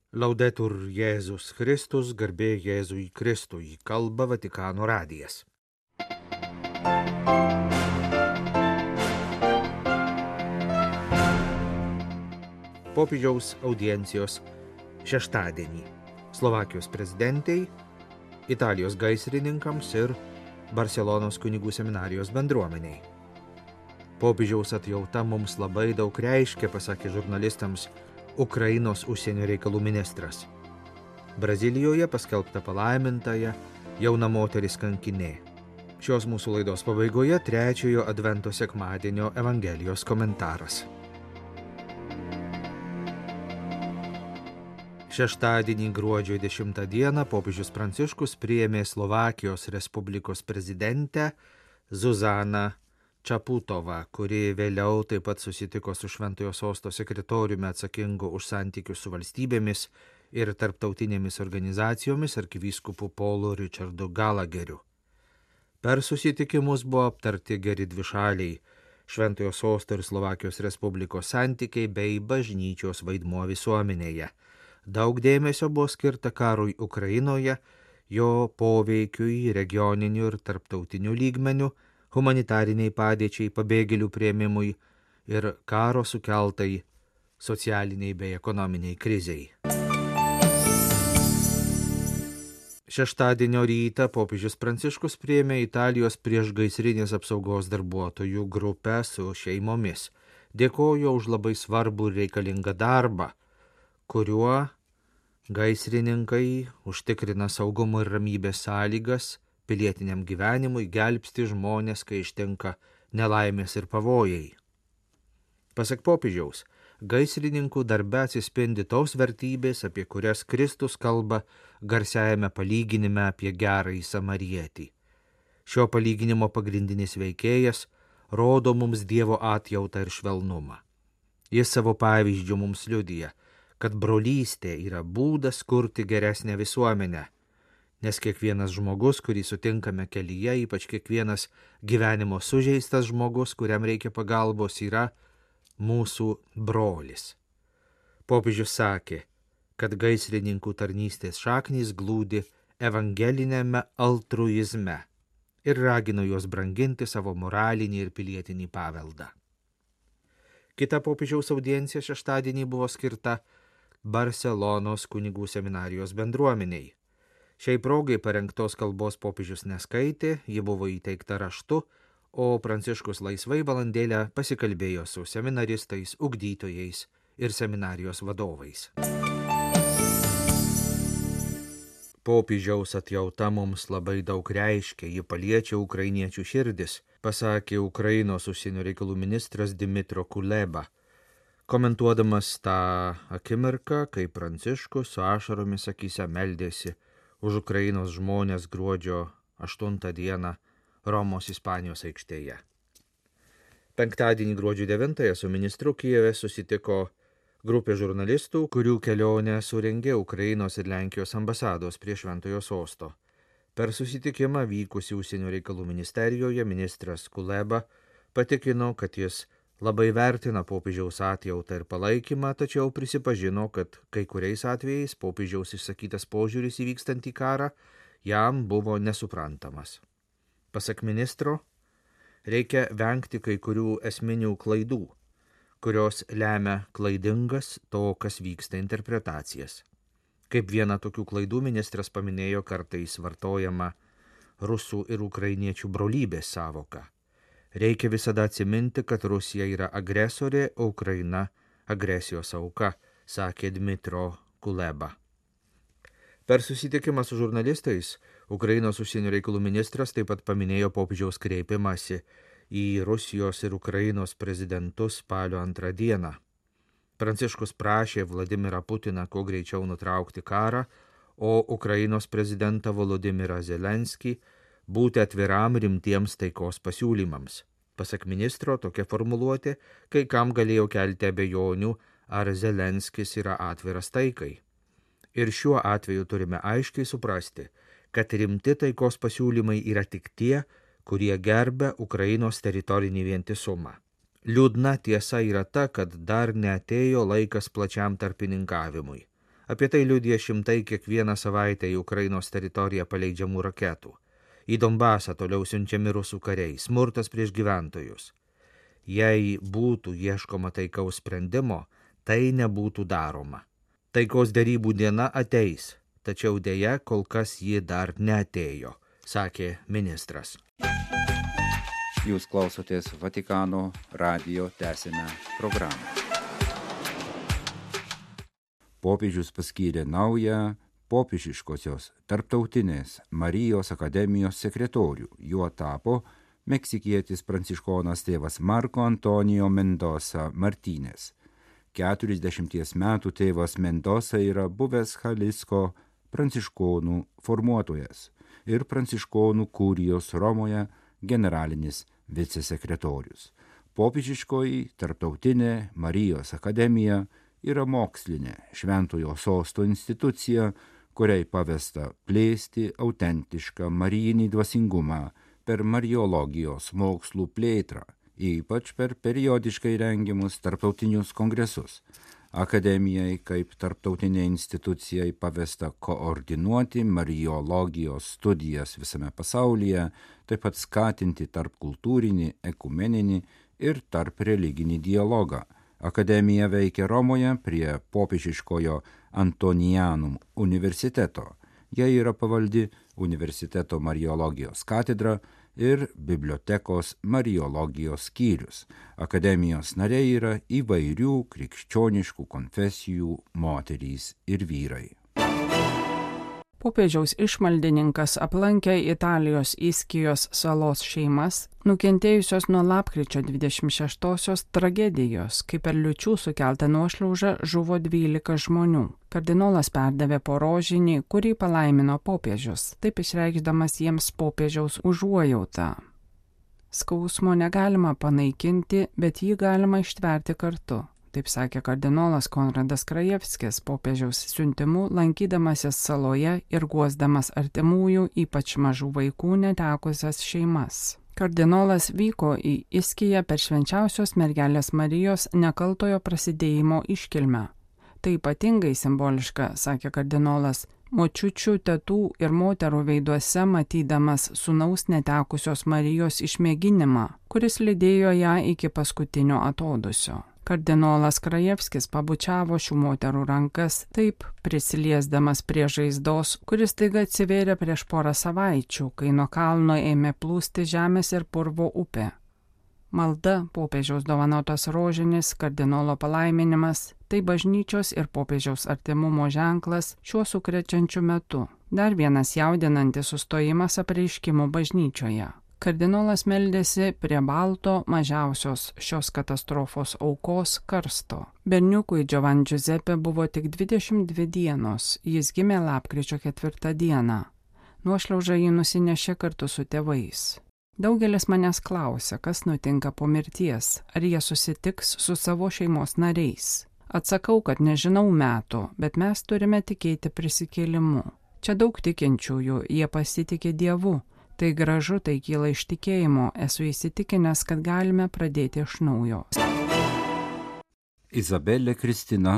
Laudetur Jėzus Kristus, garbė Jėzui Kristui, kalba Vatikano radijas. Popiežiaus audiencijos šeštadienį Slovakijos prezidentei, Italijos gaisrininkams ir Barselonos kunigų seminarijos bendruomeniai. Popiežiaus atjauta mums labai daug reiškia, pasakė žurnalistams Ukrainos užsienio reikalų ministras. Brazilijoje paskelbta palaimintąja jauna moteris kankinė. Šios mūsų laidos pabaigoje trečiojo advento sekmadienio Evangelijos komentaras. Šeštadienį gruodžio 10 dieną popiežius Pranciškus priėmė Slovakijos Respublikos prezidentę Zuzaną Čaputovą, kuri vėliau taip pat susitiko su Šventojo Sosto sekretoriumi atsakingu už santykius su valstybėmis ir tarptautinėmis organizacijomis arkivyskupu Paulu Richardu Gallagheriu. Per susitikimus buvo aptarti geri dvišaliai Šventojo Sosto ir Slovakijos Respublikos santykiai bei bažnyčios vaidmuo visuomenėje. Daug dėmesio buvo skirta karui Ukrainoje, jo poveikiui regioniniu ir tarptautiniu lygmeniu, humanitariniai padėčiai, pabėgėlių priėmimui ir karo sukeltai socialiniai bei ekonominiai kriziai. Šeštadienio rytą popiežius Pranciškus priėmė Italijos priešgaisrinės apsaugos darbuotojų grupę su šeimomis. Dėkojo už labai svarbų ir reikalingą darbą, kuriuo gaisrininkai užtikrina saugumo ir ramybės sąlygas pilietiniam gyvenimui, gelbsti žmonės, kai ištinka nelaimės ir pavojai. Pasak popiežiaus, gaisrininkų darbe atsispindi tos vertybės, apie kurias Kristus kalba garsiajame palyginime apie gerąjį samarietį. Šio palyginimo pagrindinis veikėjas rodo mums Dievo atjautą ir švelnumą. Jis savo pavyzdžiu mums liudija, kad brolystė yra būdas kurti geresnę visuomenę, nes kiekvienas žmogus, kurį sutinkame kelyje, ypač kiekvienas gyvenimo sužeistas žmogus, kuriam reikia pagalbos, yra mūsų brolis. Popiežius sakė, kad gaisrininkų tarnystės šaknys glūdi evangelinėme altruizme ir ragino juos branginti savo moralinį ir pilietinį paveldą. Kita popiežiaus audiencija šeštadienį buvo skirta Barselonos kunigų seminarijos bendruomeniai. Šiai progai parengtos kalbos popiežius neskaitė, ji buvo įteikta raštu, o Pranciškus laisvai valandėlę pasikalbėjo su seminaristais, ugdytojais ir seminarijos vadovais. Popiežiaus atjauta mums labai daug reiškia, ji paliečia ukrainiečių širdis, pasakė Ukrainos užsienio reikalų ministras Dmytro Kuleba, komentuodamas tą akimirką, kai Pranciškus su ašaromis akyse meldėsi už Ukrainos žmonės gruodžio 8 dieną Romos Ispanijos aikštėje. Penktadienį gruodžio 9 su ministru Kijeve susitiko grupė žurnalistų, kurių kelionę surengė Ukrainos ir Lenkijos ambasados prie Šventojo Sosto. Per susitikimą vykusį užsienio reikalų ministerijoje ministras Kuleba patikino, kad jis labai vertina popiežiaus atjautą ir palaikymą, tačiau prisipažino, kad kai kuriais atvejais popiežiaus išsakytas požiūris įvykstantį karą jam buvo nesuprantamas. Pasak ministro, reikia vengti kai kurių esminių klaidų, kurios lemia klaidingas to, kas vyksta interpretacijas. Kaip vieną tokių klaidų ministras paminėjo kartais vartojama rusų ir ukrainiečių brolybės sąvoka. Reikia visada atsiminti, kad Rusija yra agresorė, o Ukraina agresijos auka, sakė Dmytro Kuleba. Per susitikimą su žurnalistais Ukrainos užsienio reikalų ministras taip pat paminėjo popiežiaus kreipimąsi į Rusijos ir Ukrainos prezidentus spalio 2 dieną. Pranciškus prašė Vladimirą Putiną kuo greičiau nutraukti karą, o Ukrainos prezidentą Volodymyrą Zelenskį būti atviram rimtiems taikos pasiūlymams. Pasak ministro, tokia formuluotė kai kam galėjo kelti abejonių, ar Zelenskis yra atviras taikai. Ir šiuo atveju turime aiškiai suprasti, kad rimti taikos pasiūlymai yra tik tie, kurie gerbia Ukrainos teritorinį vientisumą. Liūdna tiesa yra ta, kad dar neatėjo laikas plačiam tarpininkavimui. Apie tai liudija šimtai kiekvieną savaitę į Ukrainos teritoriją paleidžiamų raketų. Į Donbasą toliau siunčiami rusų kariai, smurtas prieš gyventojus. Jei būtų ieškoma taikaus sprendimo, tai nebūtų daroma. Taikos derybų diena ateis, tačiau dėja kol kas ji dar neatėjo, sakė ministras. Jūs klausotės Vatikano radijo tęsinę programą. Popiežius paskyrė naują popiežiškosios tarptautinės Marijos akademijos sekretorių. Juo tapo meksikietis pranciškonas tėvas Marko Antonijo Mendoza Martínez. 40 metų tėvas Mendoza yra buvęs Jalisco pranciškonų formuotojas ir pranciškonų kurijos Romoje generalinis vicesekretorius. Popiežiškoji tarptautinė Marijos akademija yra mokslinė Šventojo Sosto institucija, kuriai pavesta plėsti autentišką marijinį dvasingumą per mariologijos mokslų plėtrą, ypač per periodiškai rengiamus tarptautinius kongresus. Akademijai kaip tarptautinė institucijai pavesta koordinuoti mariologijos studijas visame pasaulyje, taip pat skatinti tarpkultūrinį, ekumeninį ir tarp religinį dialogą. Akademija veikia Romoje prie popiežiškojo Antonianum universiteto. Jai yra pavaldi universiteto mariologijos katedra ir bibliotekos mariologijos skyrius. Akademijos nariai yra įvairių krikščioniškų konfesijų moterys ir vyrai. Popiežiaus išmaldininkas aplankė Italijos Iskijos salos šeimas, nukentėjusios nuo lapkričio 26-osios tragedijos, kai per liūčių sukeltą nuošliaužą žuvo 12 žmonių. Kardinolas perdavė po rožinį, kurį palaimino popiežius, taip išreikšdamas jiems popiežiaus užuojautą. Skausmo negalima panaikinti, bet jį galima ištverti kartu. Taip sakė kardinolas Konradas Krajevskis popiežiaus siuntimu, lankydamasis saloje ir guosdamas artimųjų, ypač mažų vaikų netekusias šeimas. Kardinolas vyko į Iskiją per švenčiausios mergelės Marijos nekaltojo prasidėjimo iškilmę. Tai ypatingai simboliška, sakė kardinolas, močiučių, tetų ir moterų veiduose matydamas sūnaus netekusios Marijos išmėginimą, kuris lydėjo ją iki paskutinio atodūsio. Kardinolas Krajevskis pabučiavo šių moterų rankas, taip prisiliesdamas prie žaizdos, kuris taiga atsivėrė prieš porą savaičių, kai nuo kalno ėmė plūsti žemės ir purvo upė. Malda, popiežiaus dovanotas rožinis, kardinolo palaiminimas, tai bažnyčios ir popiežiaus artimumo ženklas šiuo sukrečiančiu metu. Dar vienas jaudinantis sustojimas apreiškimų bažnyčioje. Kardinolas meldėsi prie balto mažiausios šios katastrofos aukos karsto. Berniukui Giovan Giuseppe buvo tik 22 dienos, jis gimė lapkričio 4 dieną. Nuošliauža jį nusinešė kartu su tėvais. Daugelis manęs klausia, kas nutinka po mirties, ar jie susitiks su savo šeimos nariais. Atsakau, kad nežinau metų, bet mes turime tikėti prisikėlimu. Čia daug tikinčiųjų, jie pasitikė Dievu. Tai gražu, tai kyla iš tikėjimo, esu įsitikinęs, kad galime pradėti iš naujo. Izabelė Kristina,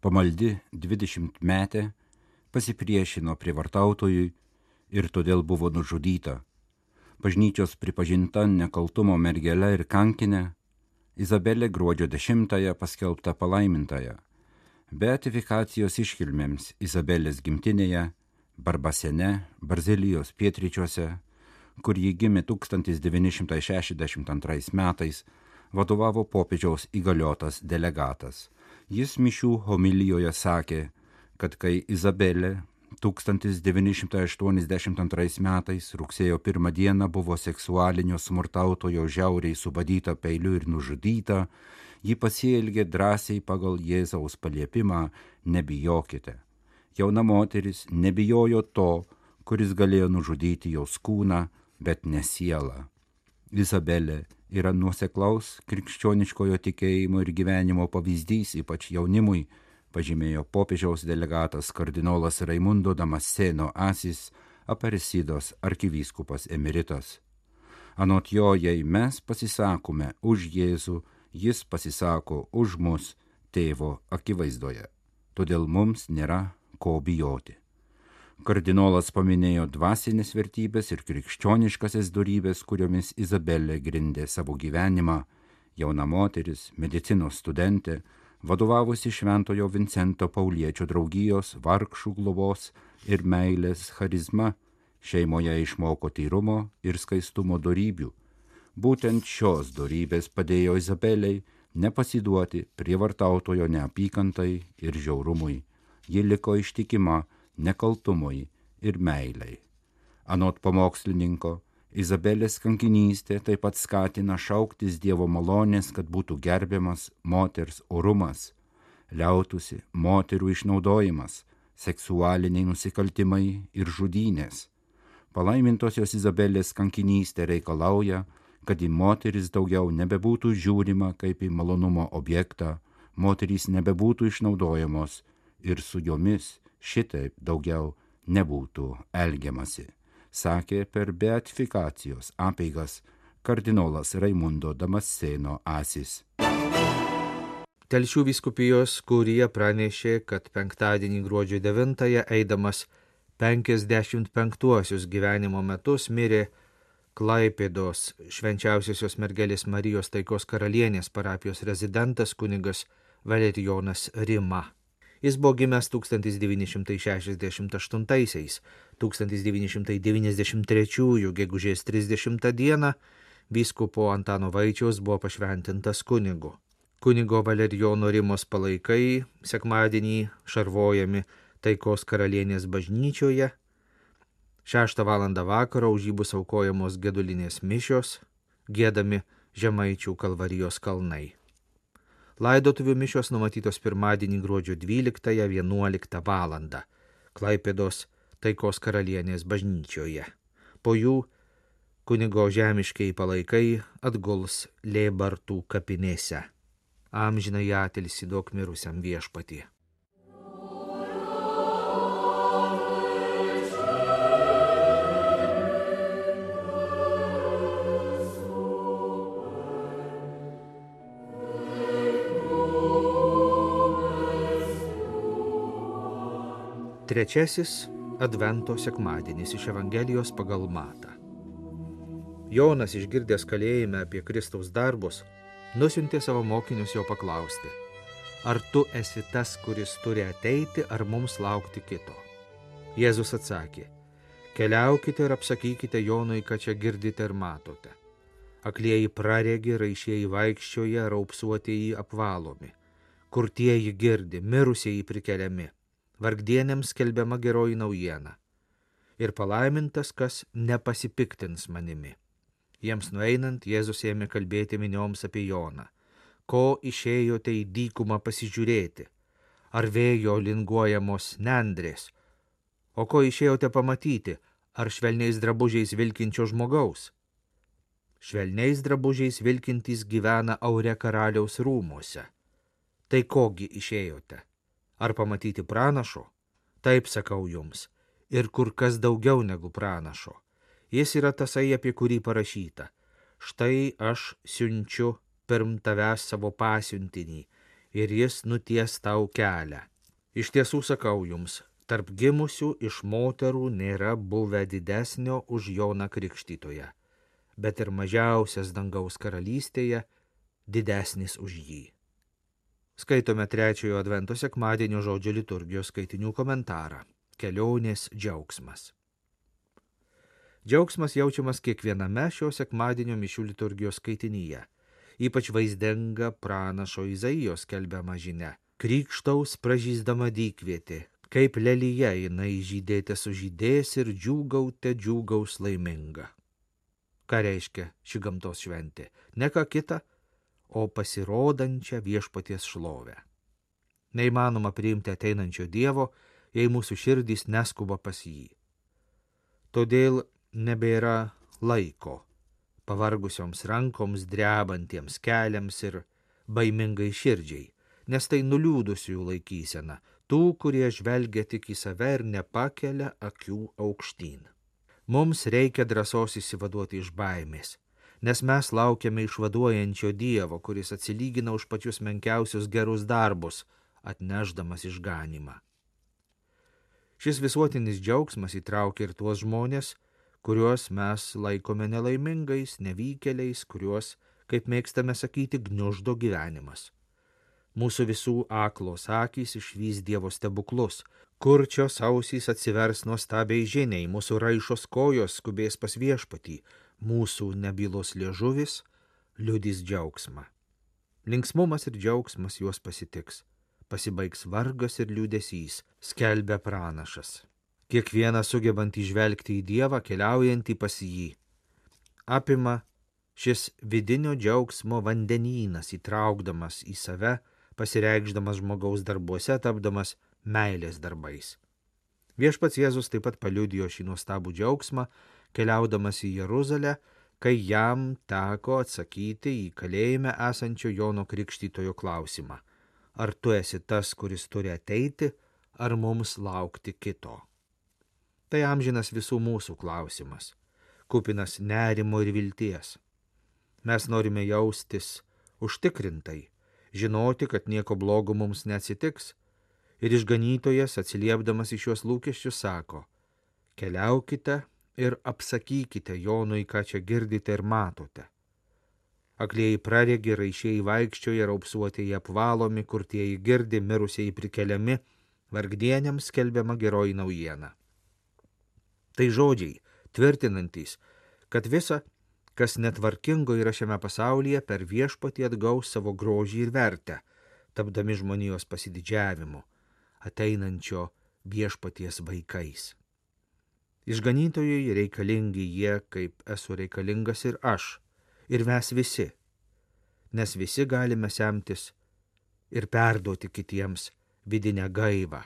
pamaldi 20-metė, pasipriešino prievartautojui ir todėl buvo nužudyta. Bažnyčios pripažinta nekaltumo mergele ir kankinė, Izabelė gruodžio 10-ąją paskelbta palaimintąją. Beatifikacijos iškilmėms Izabelės gimtinėje, Barbasene, Barzilijos pietryčiuose, kur ji gimė 1962 metais, vadovavo popiežiaus įgaliotas delegatas. Jis mišių homilijoje sakė, kad kai Izabelė 1982 metais rugsėjo 1 dieną buvo seksualinio smurtautojo žiauriai subadyta peiliu ir nužudyta, ji pasielgė drąsiai pagal Jėzaus paliepimą nebijokite. Jauna moteris nebijojo to, kuris galėjo nužudyti jos kūną, bet ne sielą. Izabelė yra nuoseklaus krikščioniškojo tikėjimo ir gyvenimo pavyzdys, ypač jaunimui, pažymėjo popiežiaus delegatas kardinolas Raimundo Damasceno Asis, Aparecidos arkivyskupas emeritas. Anot jo, jei mes pasisakome už Jėzų, jis pasisako už mus tėvo akivaizdoje. todėl mums nėra ko bijoti. Kardinolas paminėjo dvasinės vertybės ir krikščioniškasias dorybės, kuriomis Izabelė grindė savo gyvenimą, jauna moteris, medicinos studentė, vadovavusi Šventojo Vincento Pauliečio draugijos, vargšų globos ir meilės charizma, šeimoje išmoko tyrumo ir skaistumo dorybių. Būtent šios dorybės padėjo Izabelei nepasiduoti prievartautojo neapykantai ir žiaurumui. Ji liko ištikima nekaltumui ir meilei. Anot pamokslininko, Izabelės kankinystė taip pat skatina šauktis Dievo malonės, kad būtų gerbiamas moters orumas, liautųsi moterų išnaudojimas, seksualiniai nusikaltimai ir žudynės. Palaimintosios Izabelės kankinystė reikalauja, kad į moteris daugiau nebebūtų žiūrima kaip į malonumo objektą, moterys nebebūtų išnaudojamos ir su jomis šitaip daugiau nebūtų elgiamasi, sakė per beatifikacijos apeigas kardinolas Raimundo Damasceno Asis. Telšių vyskupijos kurija pranešė, kad penktadienį gruodžio 9-ąją eidamas 55 gyvenimo metus mirė Klaipėdos Švenčiausiosios mergelės Marijos Taikos karalienės parapijos rezidentas kunigas Valerijonas Rima. Jis buvo gimęs 1968-aisiais, 1993 gegužės 30 dieną vyskupo Antano Vaičiaus buvo pašventintas kunigu. Kunigo Valerijono Rimos palaikai sekmadienį šarvojami Taikos karalienės bažnyčioje. 6 valandą vakaro už jį bus aukojamos gedulinės mišios, giedami Žemaičių Kalvarijos kalnai. Laidotuvių mišios numatytos pirmadienį gruodžio 12-11 valandą Klaipėdos Taikos karalienės bažnyčioje. Po jų kunigo žemiškiai palaikai atguls Lėbartų kapinėse. Amžinai atilsį duok mirusiam Viešpatie. Trečiasis Advento sekmadienis iš Evangelijos pagal Matą. Jonas, išgirdęs kalėjime apie Kristaus darbus, nusiuntė savo mokinius jo paklausti: ar tu esi tas, kuris turi ateiti, ar mums laukti kito? Jėzus atsakė: keliaukite ir apsakykite Jonui, ką čia girdite ir matote. Aklieji praregi, raišieji vaikščioja, raupsuotieji apvalomi. Kurtieji girdi, mirusieji prikeliami. Vargdienėms skelbiama geroji naujiena. Ir palaimintas, kas nepasipiktins manimi. Jiems nueinant, Jėzus ėmė kalbėti minioms apie Joną. Ko išėjote į dykumą pasižiūrėti? Ar vėjo linguojamos nendrės? O ko išėjote pamatyti? Ar švelniais drabužiais vilkinčio žmogaus? Švelniais drabužiais vilkintys gyvena aure karaliaus rūmuose. Tai kogi išėjote? Ar pamatyti pranašo? Taip sakau jums, ir kur kas daugiau negu pranašo. Jis yra tasai, apie kurį parašyta: štai aš siunčiu pirm tavęs savo pasiuntinį, ir jis nuties tau kelią. Iš tiesų sakau jums, tarp gimusių iš moterų nėra buvę didesnio už Joną Krikštytoją, bet ir mažiausias dangaus karalystėje didesnis už jį. Skaitome trečiojo Advento sekmadienio žodžio liturgijos skaitinių komentarą. Kelionės džiaugsmas. Džiaugsmas jaučiamas kiekviename šio sekmadienio mišių liturgijos skaitinyje. Ypač vaizdinga pranašo Izaijos skelbiama žinia. Krykštaus pražysdama dykvietė, kaip lelija jinai žydėte sužydės ir džiūgaute džiūgaus laiminga. Ką reiškia ši gamtos šventė? Ne ką kita, o pasirodančią Viešpaties šlovę. Neįmanoma priimti ateinančio Dievo, jei mūsų širdys neskuba pas jį. Todėl nebėra laiko pavargusioms rankoms, drebantiems keliams ir baimingai širdžiai, nes tai nuliūdusiųjų laikysena, tų, kurie žvelgia tik į save ir nepakelia akių aukštyn. Mums reikia drąsos išsivaduoti iš baimės, nes mes laukiame išvaduojančio Dievo, kuris atsilygina už pačius menkiausius gerus darbus, atnešdamas išganymą. Šis visuotinis džiaugsmas įtraukia ir tuos žmonės, kuriuos mes laikome nelaimingais, nevykėliais, kuriuos, kaip mėgstame sakyti, gniuždo gyvenimas. Mūsų visų aklos akys išvys Dievo stebuklus, kurčios ausys atsivers nuostabiai žiniai, mūsų raišos kojos skubės pas viešpatį, mūsų nebylos liežuvis liudys džiaugsmą. Linksmumas ir džiaugsmas juos pasitiks, pasibaigs vargas ir liūdesys, skelbia pranašas. Kiekvienas sugebant įžvelgti į Dievą, keliaujantį pas jį. Apima šis vidinio džiaugsmo vandenynas, įtraukdamas į save, pasireikšdamas žmogaus darbuose, tapdamas meilės darbais. Viešpats Jėzus taip pat paliudijo šį nuostabų džiaugsmą, keliaudamas į Jeruzalę, kai jam teko atsakyti į kalėjime esančio Jono Krikštytojo klausimą. Ar tu esi tas, kuris turi ateiti, ar mums laukti kito? Tai amžinas visų mūsų klausimas, kupinas nerimo ir vilties. Mes norime jaustis užtikrintai, žinoti, kad nieko blogo mums neatsitiks, ir išganytojas, atsiliepdamas į šiuos lūkesčius, sako: keliaukite ir apsakykite Jonui, ką čia girdite ir matote. Aklieji praregi, raišieji vaikščioja, raupsuotieji apvalomi, kurtieji girdi, mirusieji prikeliami, vargdieniams skelbiama geroji naujiena. Tai žodžiai, tvirtinantys, kad visa, kas netvarkingo yra šiame pasaulyje, per viešpatį atgaus savo grožį ir vertę, tapdami žmonijos pasididžiavimu, ateinančio viešpaties vaikais. Išganytojai reikalingi jie, kaip esu reikalingas ir aš, ir mes visi, nes visi galime semtis ir perduoti kitiems vidinę gaivą,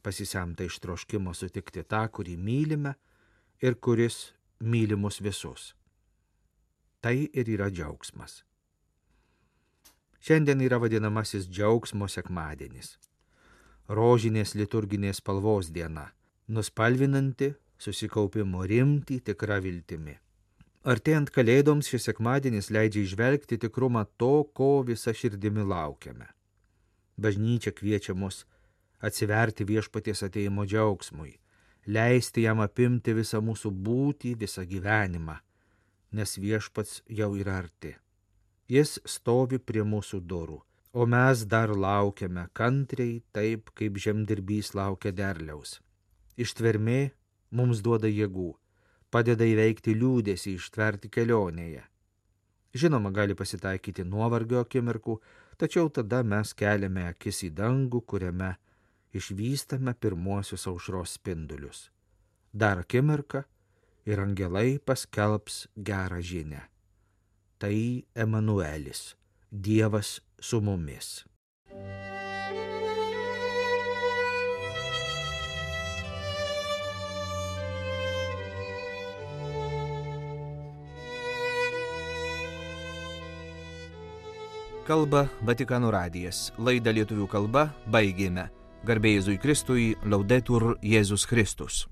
pasisemta iš troškimo sutikti tą, kurį mylime ir kuris myli mus visus. Tai ir yra džiaugsmas. Šiandien yra vadinamasis džiaugsmo sekmadienis, rožinės liturginės spalvos diena, nuspalvinanti susikaupimo rimtį tikra viltimi. Artėjant kalėdoms šis sekmadienis leidžia įžvelgti tikrumą to, ko visa širdimi laukiame. Bažnyčia kviečia mus atsiverti viešpaties atėjimo džiaugsmui, leisti jam apimti visą mūsų būtį, visą gyvenimą, nes viešpats jau yra arti. Jis stovi prie mūsų durų, o mes dar laukiame kantriai, taip kaip žemdirbys laukia derliaus. Ištvermė mums duoda jėgų, padeda įveikti liūdesį, ištverti kelionėje. Žinoma, gali pasitaikyti nuovargio akimirkų, tačiau tada mes keliame akis į dangų, kuriame išvystame pirmuosius aušros spindulius. Dar akimirką ir angelai paskelbs gerą žinią. Tai Emanuelis, Dievas su mumis. Kalba Vatikano radijas. Laidą lietuvių kalba baigėme. Garbė Jėzui Kristui, Laudetur Jėzus Kristus.